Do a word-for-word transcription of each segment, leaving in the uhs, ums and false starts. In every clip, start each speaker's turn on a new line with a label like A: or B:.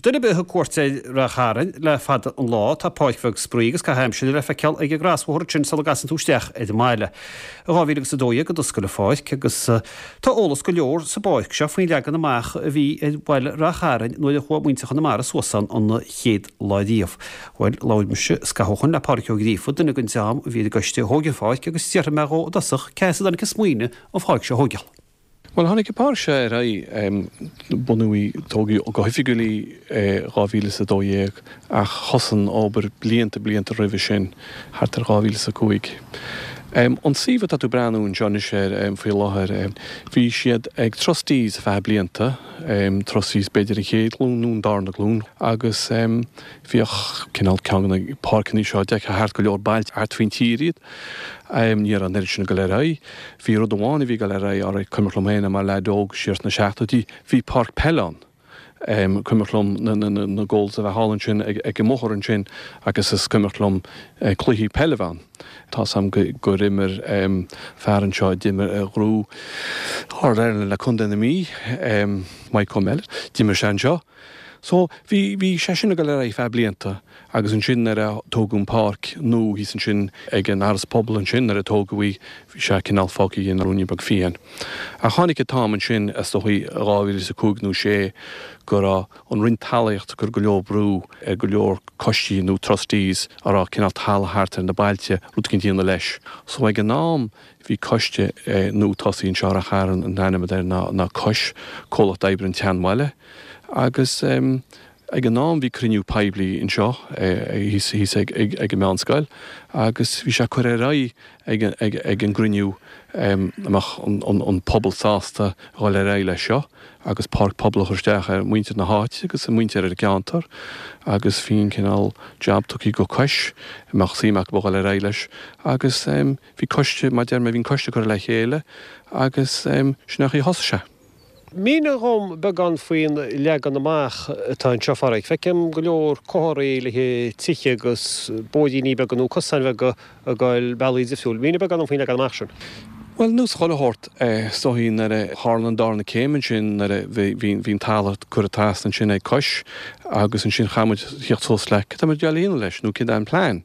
A: Duine ar bith a thug cuairt ar Ráth Chairn le fada an lá, tá páirc bheag spraoi agus caitheamh aimsire le feiceáil ag an gcrosbhóthar ansin sula gcasann tú isteach ar an mbaile. I dhá mhíle agus a dó dhéag a d'oscail an pháirc agus tá eolas go leor sa bpáirc seo faoin leagan amach a bhí ar bhaile Ráth Chairn nuair a chuaigh muintir Chonamara suas ann an chéad lá riamh. Bhuel, labhair mise scaitheamh ó shoin le Pádraig Ó Gríofa, duine den dream a bhí ar an gcoiste a thóg an pháirc agus d'fhiafraigh mé dhó i dtosach cé as a dtáinig an smaoineamh an pháirc seo a thógáil.
B: Bhuel, tháinig an pháirc seo ar aghaidh, bunaíodh í, tógadh go hoifigiúil í dhá mhíle is a dó dhéag ach thosaigh an obair blianta, blianta roimhe sin, thart ar dhá mhíle is a cúig. An suíomh atá tú ag breathnú anseo anois air faoi láthair, bhí siad ag trustees ar feadh blianta, trustees b'fhéidir an chéad ghlúin nó an darna glúin, agus bhíodh cineál ceann de na páirceanna seo, d'fheicfeá thart go leor bailte thart faoin tír iad. Ní raibh an oiread sin ag dul ar aghaidh. Bhí rud amháin a bhí ag dul ar aghaidh, alright, cuimhneach liom féin mar leaid óg siar sna seachtóidí, bhí páirc peile ann. Cuimhneach liom na goals a bheith thall ansin ag an mbóthar ansin agus is cuimhneach liom cluichí peile a bheith ann. Tá's a'm gur imir fear anseo a d'imir a ghnóthaigh All-Ireland le Contae na Mí, Mike O'Malley, d'imir sé anseo. So, bhí, bhí sé sin ag dul ar aghaidh feadh blianta agus ansin nuair a tógadh an páirc nua thíos ansin ag an Áras Pobail ansin, nuair a tógadh í, bhí sé cineál fágtha ina ruainne beag fiáin. Ach tháinig an t-am ansin, is dóichí dhá mhíle is a cúig nó sé, go raibh an Roinn Talmhaíochta ag cur go leor brú ar go leor coistí nó trustees a raibh cineál talamh thart ar na bailte, rud eicínt a dhéanamh leis. So ag an am bhí coiste nua tosaithe anseo i Ráth Chairn, an t-ainm atá air ná ná Cois, Comhlacht Oibre an tSeanbhaile, agus ag an am bhí cruinniú poiblí anseo thíos thíos ag ag ag an meánscoil agus bhí sé curtha ar aghaidh ag ag ag an gcruinniú an mbeadh an an an pobal sásta a dhul ar aghaidh leis seo agus páirc pobail a chur isteach ar mhuintir na háite agus an muintir ar an gceantar agus bhí an cineál jab tugtha go Cois an mbeadh suim acu a dhul ar aghaidh leis agus bhí coiste mar a deir mé bhí an coiste curtha le chéile agus sin é an chaoi a thosaigh sé.
A: Mínigh dhom beagán faoin leagan amach atá anseo, a Phádraig. Feicim go leor comharthaí le tithe agus bóithríní beaga nó cosáin bheaga ag dul bealaí difriúil. Mínigh beagán dom faoin leagan amach sin.
B: Bhuel, nós chuile shórt, is dóichí nuair a tharla an darna céim ansin, nuair a bhí bhí an talamh curtha trasna ansin ag Cois agus ansin chaith muid theacht suas le cad tá muid ag dul a dhéanamh leis nó céard é an plean.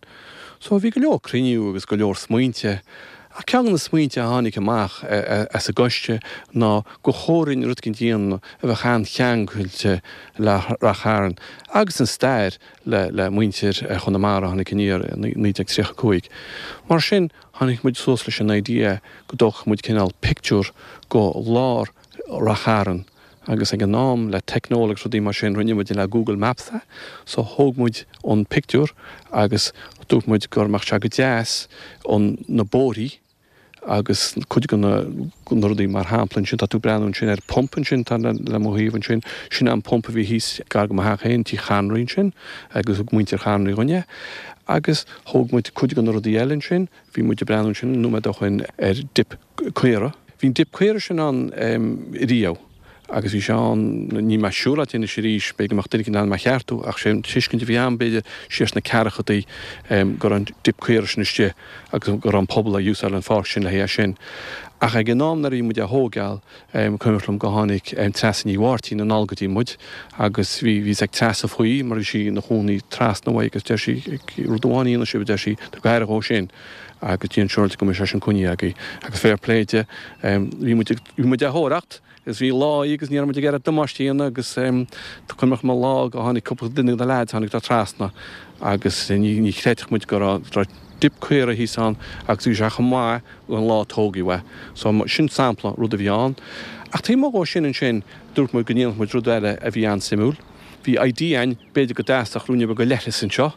B: So bhí go leor cruinniú agus go leor smaointe. Ach ceann de na smaointe a tháinig amach as an gcoiste ná gur chóir dúinn rud eicínt a dhéanamh a bheadh an-cheangailte le Rath Chairn agus an stair le muintir Chonamara a tháinig aniar i naoi déag tríocha a cúig. Mar sin, tháinig muid suas leis an idea go dtógfadh muid cineál pictiúr go lár Rath Chairn agus ag an am le teicneolaíocht agus rudaí mar sin rinne muid le Google Maps é so thóg muid an pictiúr agus dúirt muid go mbeadh sé go deas an na bóithrí agus cuid de na na rudaí mar shampla ansin tá tú ag breathnú ansin ar pump ansin tá le le mo thaobh ansin sin an pump a bhí thíos gar go mo theach féin Tigh Chonraí ansin agus thug muintir Chonraí dhúinn é agus thóg muid cuid de na rudaí eile ansin bhí muid ag breathnú ansin nóiméad ó shoin ar dip caora bhí an dip caora sin ann riamh agus bhí sé ann, níl mé siúráilte anois arís, b'fhéidir go mbeadh duine éicint in ann mé a cheartú, ach sé an tuiscint a bhí agam, b'fhéidir, siar sna ceathrachadaí go raibh an dip caora sin istigh agus go raibh an pobal ag úsáid an pháirc sin le haghaidh é sin. Ach ag an am nuair a bhí muid á thógáil, cuimhneach liom go tháinig Treasa Ní Mháirtín anall go dtí muid agus bhí, bhí a fhios ag Treasa faoi mar bhí sí ina chónaí trasna uaidh agus deir sí, rud amháin a dhéanfaidh sibh, a deir sí, tabhair aire dhó sin. Agus déan siúráilte go mbeidh sé sin coinnithe agaibh. Agus fair play di, bhí muid ag, bhí muid á thóracht agus bhí lá í agus ní raibh muid ag iarraidh damáiste a dhéanamh agus cuimhneach liom an lá go tháinig cúpla duine de na leaids, tháinig siad trasna agus ní, ní chreidfeadh muid go raibh, raibh dip caora thíos ann agus bhí sé chomh maith an lá a tógadh é. So sin sampla rud a bhí ann. Ach taobh amuigh dhó sin ansin, dúirt muid go ndéanfadh muid rud eile a bhí an-suimiúil. Bhí idea againn, b'fhéidir go dteastódh ruainne beag de leithreas anseo.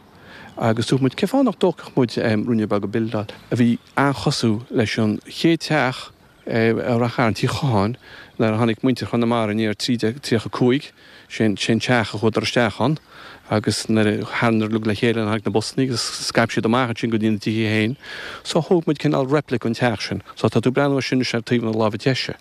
B: Agus dúirt muid, cén fáth nach dtógfadh muid ruainne beag buildeáil a bhí an-chosúil leis an chéad teach i Rath Chairn, Tigh Chotháin, nuair a tháinig muintir Chonamara aniar trí déag tríocha cúig, sé an teach a chuadar isteach ann agus nuair a tharraing uilig le chéile tháinig na busannaí agus scaip siad amach ansin go dtí na dtithe féin. So thóg muid cineál replica an teach sin. So tá tú ag breathnú air sin anois ar taobh na láimhe deise,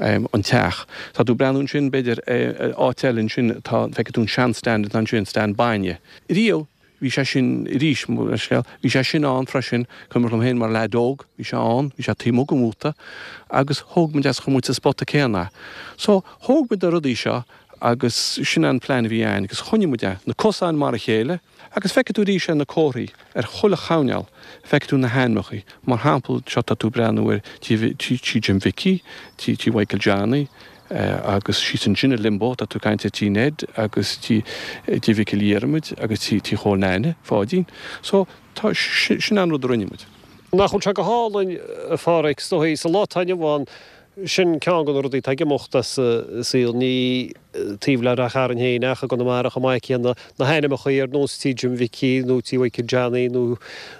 B: an teach. Tá tú ag breathnú ansin b'fhéidir áit eile ansin tá, feicfidh tú an sean-stand atá ansin, stand bainne. Riamh bhí sé sin arís, mo leithscéal, bhí sé sin ann freisin, cuimhneach liom féin mar leaid óg, bhí sé ann, bhí sé taobh amuigh den mhóta agus thóg muid as, chuir muid sa spota céanna é. So, thóg muid na rudaí seo Agus sin an plean a bhí ann agus choinnigh muid é, na cosáin mar a chéile agus feicfidh tú arís ar na comharthaí ar chuile choirnéal, feicfidh tú na hainmneacha. Mar shampla, seo tá tú ag breathnú ar tí tí Jim Mhicí, tí tí Mhichael Johnny, agus síos ansin i Limbo tá tú ag caint ar tí Ned agus tí tí Mhichíl Dhiarmaid agus tí tí Chóil Naine, Pháidín. So tá sin an rud a rinne muid.
A: Nach bhfuil sé go hálainn, a Pháraic, is dóigh, sa lá atá inniu ann, sin ceann de na rudaí atá ag imeacht as an saol, ní taobh le Ráth Chairn féin ach i gConamara chomh maith céanna, na hainmneacha ar nós Tí Jim Mhicí nó Tí Mhichael Johnny nó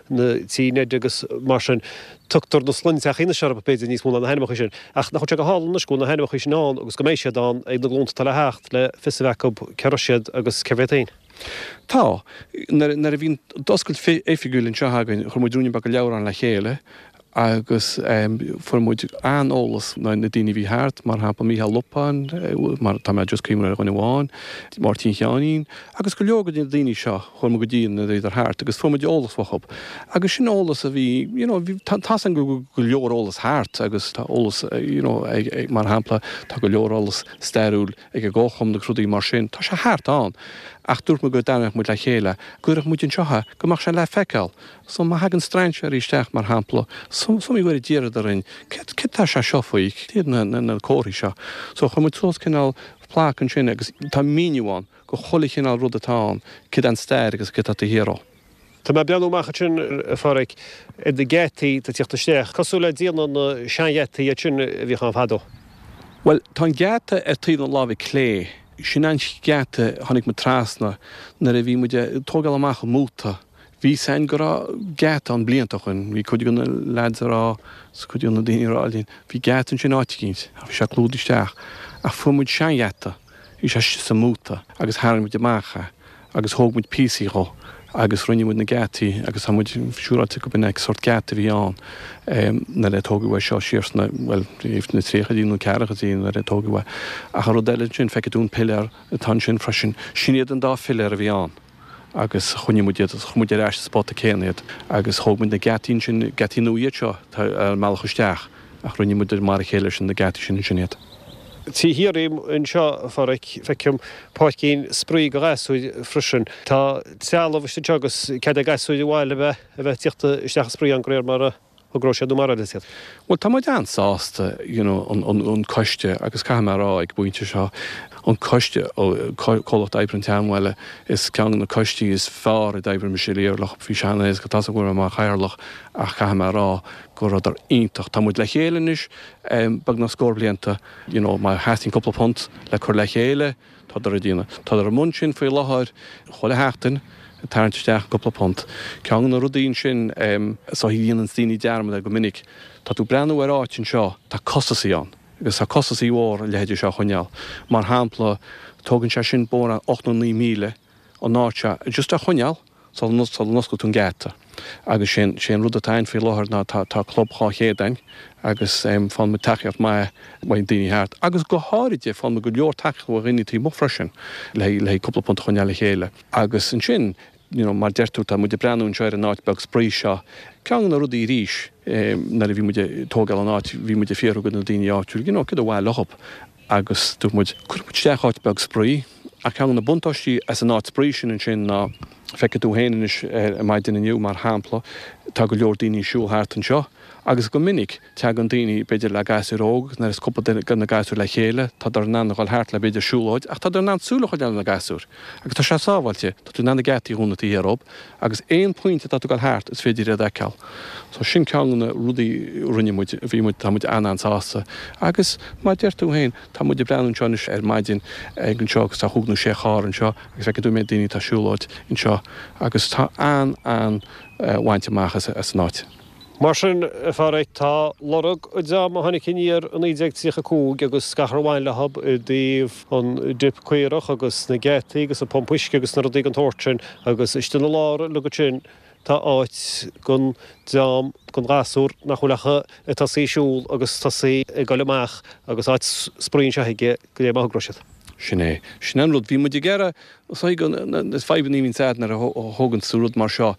A: na Tí Ned agus mar sin. Tugtar na sloinnteachaí anois orthu b'fhéidir níos mó ná na hainmneacha sin. Ach nach bhfuil sé go hálainn anois go bhfuil na hainmneacha sin ann agus go mbeidh siad ann ag na glúnta atá le theacht le fios a bheith acu cé raibh siad agus cérbh iad féin.
B: Tá. Nuair a bhí an oscailt oifigiúil anseo againn, chuir muid ruainnín beag de leabhrán le chéile agus fuair muid an-eolas ó na daoine a bhí thart, mar shampla Mícheál Lupán, mar tá mé just cuimhneamh ar dhuine amháin, Máirtín Sheáinín, agus go leor de na daoine seo, chuaigh muid go dtí nuair a bhíodar thart agus fuair muid eolas uathu. Agus sin eolas a bhí, you know, bhí, tá tá's againn go bhfuil go leor eolas thart agus tá eolas, you know, ag, mar shampla, tá go leor eolas stairiúil ag an gComharchumann agus rudaí mar sin, tá sé thart ann. Ach dúirt muid go dtarraingeodh muid le chéile, go gcuirfeadh muid anseo é, go mbeadh sé le feiceáil. So má thagann strainséirí isteach, mar shampla, is iomaí uair a d'iarradar orainn, céard, céard tá sé seo faoi, céard iad na, na, na comharthaí seo. So chuir muid suas cineál plaic ansin agus tá míniú ann go chuile chineál rud atá ann, céard an stair agus céard atá taobh thiar dhó.
A: Tá mé ag breathnú amach ansin, a Pháraic, ar na geataí atá ag tíocht isteach, cosúil le déanamh na seangheataí iad sin a bhíodh ann fadó.
B: Bhuel, tá an geata ar taobh na láimhe clé, sin an geata a tháinig muid trasna nuair a bhí muid ag tógáil amach an móta. Bhí 'fhios a'inn go raibh geata ann blianta ó shoin, bhí cuid de na lads a rá, 's cuid de na daoine a rá linn, bhí geata ansin áit eicínt, ach bhí sé clúdaithe isteach. Ach fuair muid seangheata, bhí sé istigh sa móta agus tharraing muid amach é agus thóg muid píosaí dhó agus rinne muid na geataí agus tá muid siúráilte go b'in é sórt geata a bhí ann nuair a tógadh é seo siar sna, bhuel, na tríochaidí nó ceathrachaidí nuair a tógadh é. Ach an rud eile ansin, feicfidh tú an piléar atá ansin freisin, sin iad an dá philéar a bhí ann agus choinnigh muid iad, chuir muid ar ais sa spota céanna iad agus thóg muid na geataí ansin, geataí nua iad seo atá ar an mbealach isteach ach rinne muid mar a chéile leis na geataí sin ansin iad.
A: Taobh thiar díom anseo, a Pháraic, feicim páircín spraoi do ghasúir freisin. Tá trealamh istigh anseo agus cead ag gasúir an bhaile a bheith a bheith ag tíocht isteach ag spraoi ann de réir mar a thogróidh siad nó mar a fheilfidh siad.
B: Bhuel, tá muid an-sásta, you know, an, an, an coiste, agus caithfidh mé a rá ag an bpointe seo, an coiste, Comhlacht Oibre an tSeanbhaile, is ceann de na coistí is fearr a d'oibrigh mise riamh leo. Bhí sé an-éasca, tá's agam go raibh mé mar chathaoirleach ach caithfidh mé a rá go rabhadar iontach. Tá muid le chéile anois beagnach scór blianta, you know, má theastaíonn cúpla punt le cur le chéile, tádar ag déanamh. Tádar i mbun sin faoi láthair chuile sheachtain, ag tarraingt isteach cúpla punt. Ceann de na rudaí ansin so a dhéananns daoine dearmad air go minic, tá tú ag breathnú ar áit anseo, tá costasaí ann agus tá costasaí mhór a leithéide seo a choinneáil. Mar shampla, tógann sé sin mórán ocht nó naoi míle an áit seo just a choinneáil sula n-osclaíonn tú an geata. Agus sé sé an rud atá ann faoi láthair ná tá tá club dhá chéad ann agus faigheann muid tacaíocht maith uaidh daoine thart agus go háirithe faigheann muid go leor tacaíocht ó dhaoine taobh amuigh freisin le le cúpla punt a choinneáil le chéile. Agus ansin, you know, mar deir tú, tá muid ag breathnú anseo ar an áit beag spraoi seo. Ceann de na rudaí arís nuair a bhí muid ag tógáil an áit, bhí muid ag fiafraí de na daoine áitiúil, you know, céard a mhaith leo agus dúirt muid, cuirfidh muid isteach áit beag spraoi. Ach ceann de na buntáistí as an áit spraoi sin ansin ná, feicfidh tú féin anois ar maidin inniu, mar shampla, tá go leor daoine ag siúl thart anseo agus go minic tagann daoine, b'fhéidir le gasúir óg, nuair is cúpla duine de na gasúir le chéile, tádar in ann a dhul thart le b'fhéidir siúlóid ach tádar in ann súil a choinneáil ar na gasúir agus tá sé sábháilte, tá tú in ann na geataí a dhúnadh taobh thiar dhób agus aon pointe atá tú ag dul thart is féidir iad a fheiceáil. So sin ceann de na rudaí a rinne muid, bhí muid, tá muid an-an-sásta agus mar a deir tú féin, tá muid ag breathnú anseo anois ar maidin ag anseo agus tá chúig nó sé charr anseo agus feicfidh tú an méid daoine atá ag siúlóid anseo agus tá an-an-bhaint amach as an áit.
A: Mar sin, a Pháraic, tá lorg an dream a tháinig aniar i naoi déag tríocha a cúig agus gach ar bhain leo i dtaobh an dip caorach agus na geataí agus an pump uisce agus na rudaí den tsórt sin agus istigh ina lár uilig ansin tá áit don dream, don ghasúr nach bhfuil ach ag tosaí ag siúl agus tosaí ag dul amach agus áit spraoi anseo aige go dté má thogróidh siad.
B: Sin é. Sin an rud. Bhí muid ag iarraidh Is dóigh go na fadhbanna a bhíonns a'd nuair a thógann tú rud mar seo,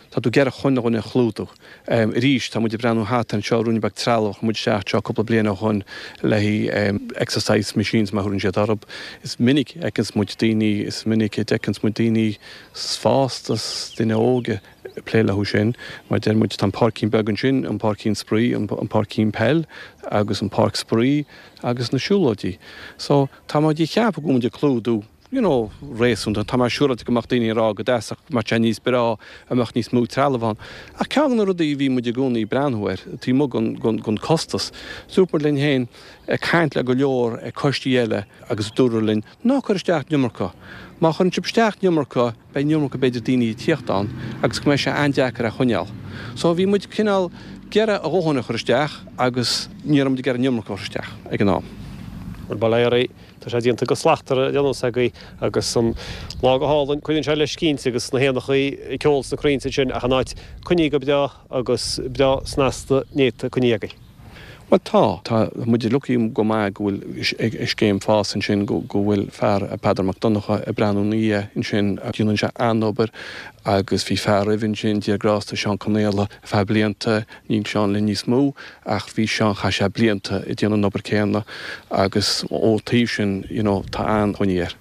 B: tá tú ag iarraidh chuile dhuine a chlúdú. Arís, tá muid ag breathnú thart anseo, ruainne beag trealamh, chuir muid isteach anseo cúpla bliain ó shoin le haghaidh exercise machines mar a thabharann siad orthu. Is minic a fheiceanns muid daoine, is minic a d'fheiceanns muid daoine fásta 's duine óg ag plé leo sin. Mar deir muid, tá an páircín beag ansin, an páircín spraoi, an páircín peil agus an páirc spraoi agus na siúlóidí. So, tá muid ag ceapadh go bhfuil muid ag clúdú. you know, réasúnta. Tá mé siúráilte go mbeadh daoine ag rá go dteastódh, go mbeadh sé níos breá, a mbeadh níos mó trealamh ann. Ach ceann de na rudaí a bhí muid i gcónaí ag breathnú air, taobh amuigh den, den, den costas, dúirt muid linn féin, ag caint le go leor coistí eile agus dúradh linn, ná cuir isteach an iomarca. Má chuireann sibh isteach an iomarca, beidh an iomarca b'fhéidir daoine ag tíocht ann agus go mbeidh sé an-deacair a choinneáil. So bhí muid cineál ag iarraidh a dhóthain a chur isteach agus ní raibh muid ag iarraidh an iomarca a chur isteach ag an am.
C: Bhuel, bail ó Dhia oraibh, tá sé déanta go slachtmhar ar aon nós agaibh agus an lá go hálainn, cuireann sé leis cinnte agus na héanachaí ag ceol sna crainnte ansin ach an áit coinnithe go breá agus breá snasta néata coinnithe agaibh.
B: Bhuel tá. Tá muid lucky go maith go bhfuil scéim fás ansin go bhfuil fear, Peadar Mac Donncha, ag breathnú ina dhiaidh ansin agus déanann sé an-obair agus bhí fear roimhe ansin, Dia grásta, Seán Conaola, ar feadh blianta, níl Seán linn níos mó ach bhí Seán, chaith sé blianta ag déanamh an obair céanna agus ó taobh sin you know tá an-mhuinín air.